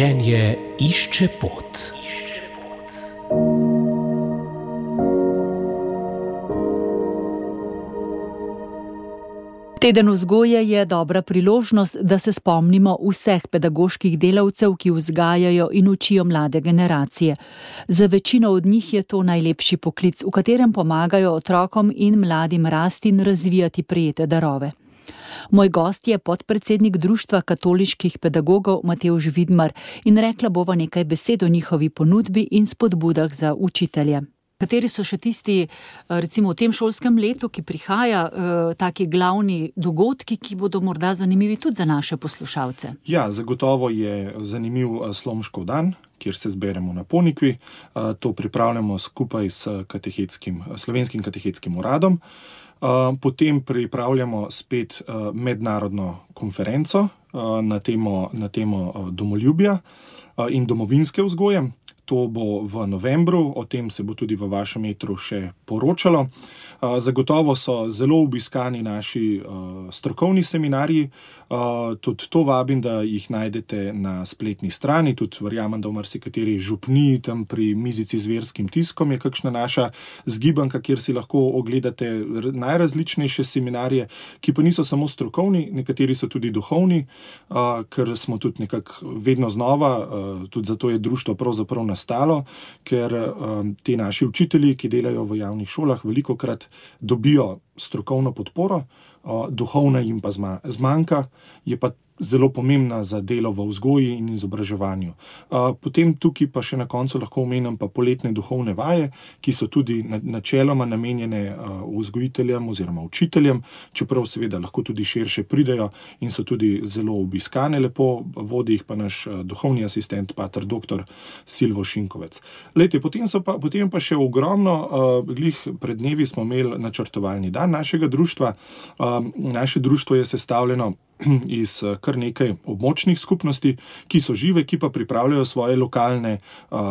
Življenje išče pot. Teden vzgoje je dobra priložnost, da se spomnimo vseh pedagoških delavcev, ki vzgajajo in učijo mlade generacije. Za večino od njih je to najlepši poklic, v katerem pomagajo otrokom in mladim rasti in razvijati prejete darove. Moj gost je podpredsednik Društva katoliških pedagogov Matevž Vidmar in rekla bova nekaj besed o njihovi ponudbi in spodbudah za učitelje. Kateri so še tisti, recimo v tem šolskem letu, ki prihaja, taki glavni dogodki, ki bodo morda zanimivi tudi za naše poslušalce? Ja, zagotovo je zanimiv Slomškov dan, kjer se zberemo na Ponikvi. To pripravljamo skupaj s Slovenskim katehetskim uradom. Potem pripravljamo spet mednarodno konferenco na temo domoljubja in domovinske vzgoje. To bo v novembru, o tem se bo tudi v vašem etru še poročalo. Zagotovo so zelo obiskani naši strokovni seminarji. Tudi to vabim, da jih najdete na spletni strani. Tudi verjamem, da v marsikateri župniji tam pri mizici z verskim tiskom je kakšna naša zgibanka, kjer si lahko ogledate najrazličnejše seminarje, ki pa niso samo strokovni, nekateri so tudi duhovni, ker smo tudi nekako vedno znova, tudi zato je društvo pravzaprav nastalo, ker ti naši učitelji, ki delajo v javnih šolah, velikokrat dobijo strokovno podporo, duhovna jim pa zmanjka, je pa zelo pomembna za delo v vzgoji in izobraževanju. Potem tukaj pa še na koncu lahko omenim pa poletne duhovne vaje, ki so tudi načeloma namenjene vzgojiteljem oziroma učiteljem, čeprav seveda lahko tudi širše pridejo in so tudi zelo obiskane lepo, vodi jih pa naš duhovni asistent, pater doktor Silvo Šinkovec. Lejte, potem pa še ogromno, glih pred dnevi smo imeli načrtovalni dan našega društva. Naše društvo je sestavljeno iz kar nekaj območnih skupnosti, ki so žive, ki pa pripravljajo svoje lokalne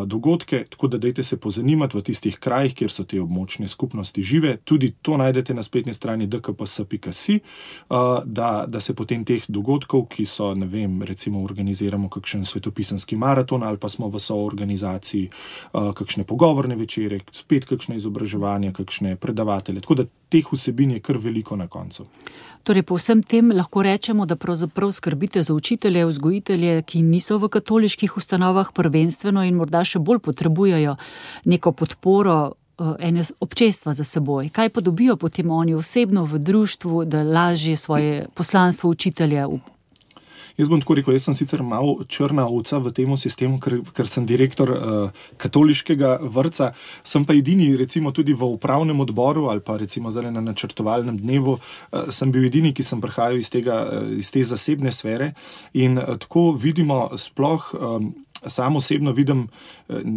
dogodke, tako da dajte se pozanimati v tistih krajih, kjer so te območne skupnosti žive. Tudi to najdete na spletni strani dkps.si, da se potem teh dogodkov, ki so, ne vem, recimo organiziramo kakšen svetopisanski maraton ali pa smo v soorganizaciji kakšne pogovorne večere, spet kakšne izobraževanja, kakšne predavatelje, tako da teh vsebin je kar veliko na koncu. Torej, po vsem tem lahko rečemo, da pravzaprav skrbite za učitelje, vzgojitelje, ki niso v katoliških ustanovah prvenstveno in morda še bolj potrebujejo neko podporo ene občestva za seboj. Kaj pa dobijo potem oni osebno v društvu, da lažje svoje poslanstvo učitelja? Jaz bom tako rekel, jaz sem sicer malo črna ovca v tem sistemu, ker sem direktor katoliškega vrtca, sem pa edini, recimo tudi v upravnem odboru ali pa recimo zdaj na načrtovalnem dnevu, sem bil edini, ki sem prihajal iz te zasebne sfere in tako vidimo sploh. Sam osebno vidim,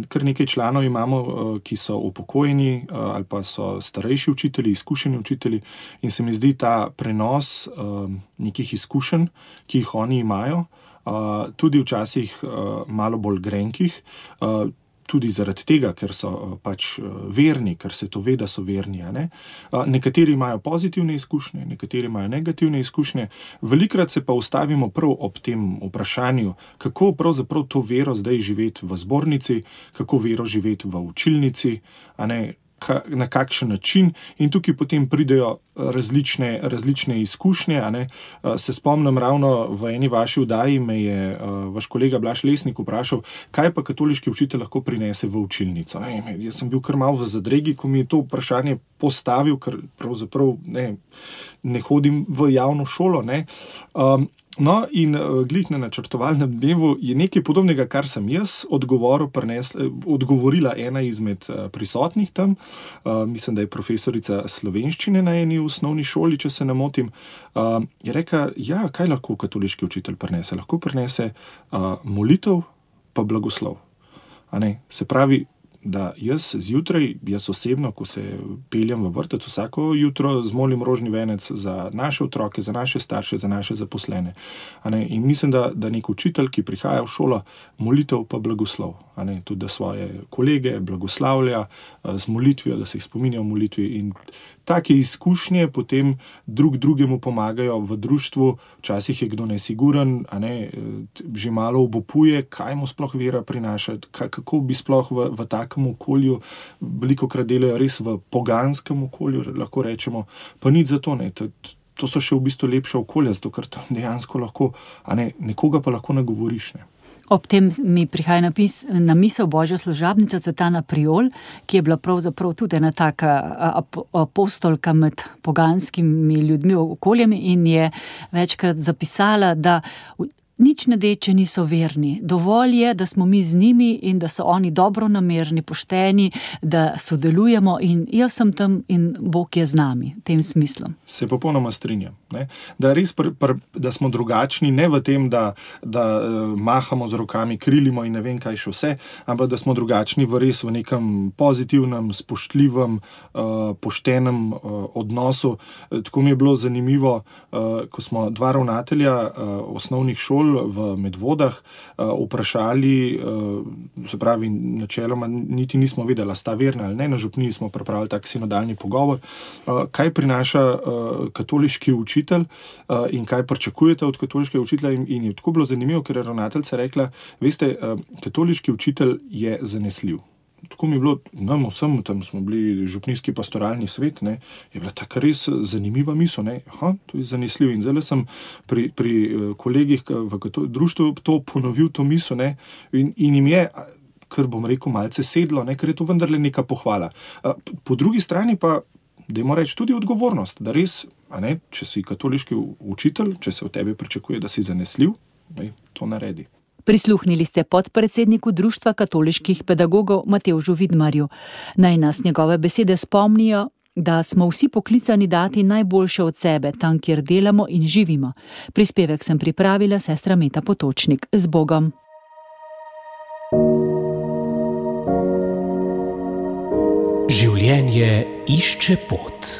kar nekaj članov imamo, ki so upokojeni ali pa so starejši učitelji, izkušeni učitelji in se mi zdi ta prenos nekih izkušenj, ki jih oni imajo, tudi včasih malo bolj grenkih, tudi zaradi tega, ker so pač verni, ker se to ve, da so verni. Nekateri imajo pozitivne izkušnje, nekateri imajo negativne izkušnje. Velikrat se pa ustavimo prav ob tem vprašanju, kako pravzaprav to vero zdaj živeti v zbornici, kako vero živeti v učilnici, na kakšen način in tukaj potem pridejo različne izkušnje. Se spomnim ravno v eni vaši oddaji me je vaš kolega Blaž Lesnik vprašal, kaj pa katoliški učitelj lahko prinese v učilnico. Jaz sem bil kar malo v zadregi, ko mi je to vprašanje postavil, ker pravzaprav ne hodim v javno šolo. No, in glih na načrtovalnem dnevu je nekaj podobnega, kar sem jaz odgovorila ena izmed prisotnih tam. Mislim, da je profesorica slovenščine na eni osnovni šoli, če se ne motim. Je rekla, ja, kaj lahko katoliški učitelj prinese? Lahko prinese molitev pa blagoslov. Se pravi, da jaz osebno, ko se peljem v vrtec, vsako jutro zmolim rožni venec za naše otroke, za naše starše, za naše zaposlene. In mislim, da nek učitelj, ki prihaja v šolo, molitev pa blagoslov. Tudi da svoje kolege blagoslavlja z molitvijo, da se jih spominja v molitvi in take izkušnje potem drugemu pomagajo v društvu, včasih je kdo nesiguren, že malo obupuje, kaj mu sploh vera prinaša, kako bi sploh v takem okolju, velikokrat delajo res v poganskem okolju, lahko rečemo, pa nič za to, to so še v bistvu lepša okolja, zato ker tam dejansko lahko, nekoga pa lahko nagovoriš, Ob tem mi prihaja na misel Božja služabnica Cvetana Priol, ki je bila pravzaprav tudi ena taka apostolka med poganskimi ljudmi, okoljami in je večkrat zapisala, da nič ne de, če niso verni. Dovolj je, da smo mi z njimi in da so oni dobronamerni, pošteni, da sodelujemo in jaz sem tam in Bog je z nami, v tem smislu. Se popolnoma strinjam. Da res, da smo drugačni, ne v tem, da mahamo z rokami, krilimo in ne vem kaj še vse, ampak da smo drugačni v res v nekem pozitivnem, spoštljivem, poštenem odnosu. Tako mi je bilo zanimivo, ko smo dva ravnatelja osnovnih šol v Medvodah vprašali, se pravi, načeloma niti nismo vedeli, sta verna ali ne, na župniji smo pripravili tak sinodalni pogovor, kaj prinaša katoliški učitelj in kaj pričakujete od katoliškega učitelja in je tako bilo zanimivo, ker je ravnateljica rekla, veste, katoliški učitelj je zanesljiv. Tako mi je bilo, nam vsem, tam smo bili župnijski pastoralni svet, je bila taka res zanimiva misel, to je zanesljiv. In zdaj sem pri kolegih v društvu to ponovil, to misel, in jim je, kar bom rekel, malce sedlo, ker je to vendarle neka pohvala. Po drugi strani pa, dajmo reči, tudi odgovornost, da res, če si katoliški učitelj, če se od tebe pričakuje, da si zanesljiv, to naredi. Prisluhnili ste podpredsedniku Društva katoliških pedagogov Matevžu Vidmarju. Naj nas njegove besede spomnijo, da smo vsi poklicani dati najboljše od sebe, tam, kjer delamo in živimo. Prispevek sem pripravila sestra Meta Potočnik. Z Bogom! Življenje išče pot.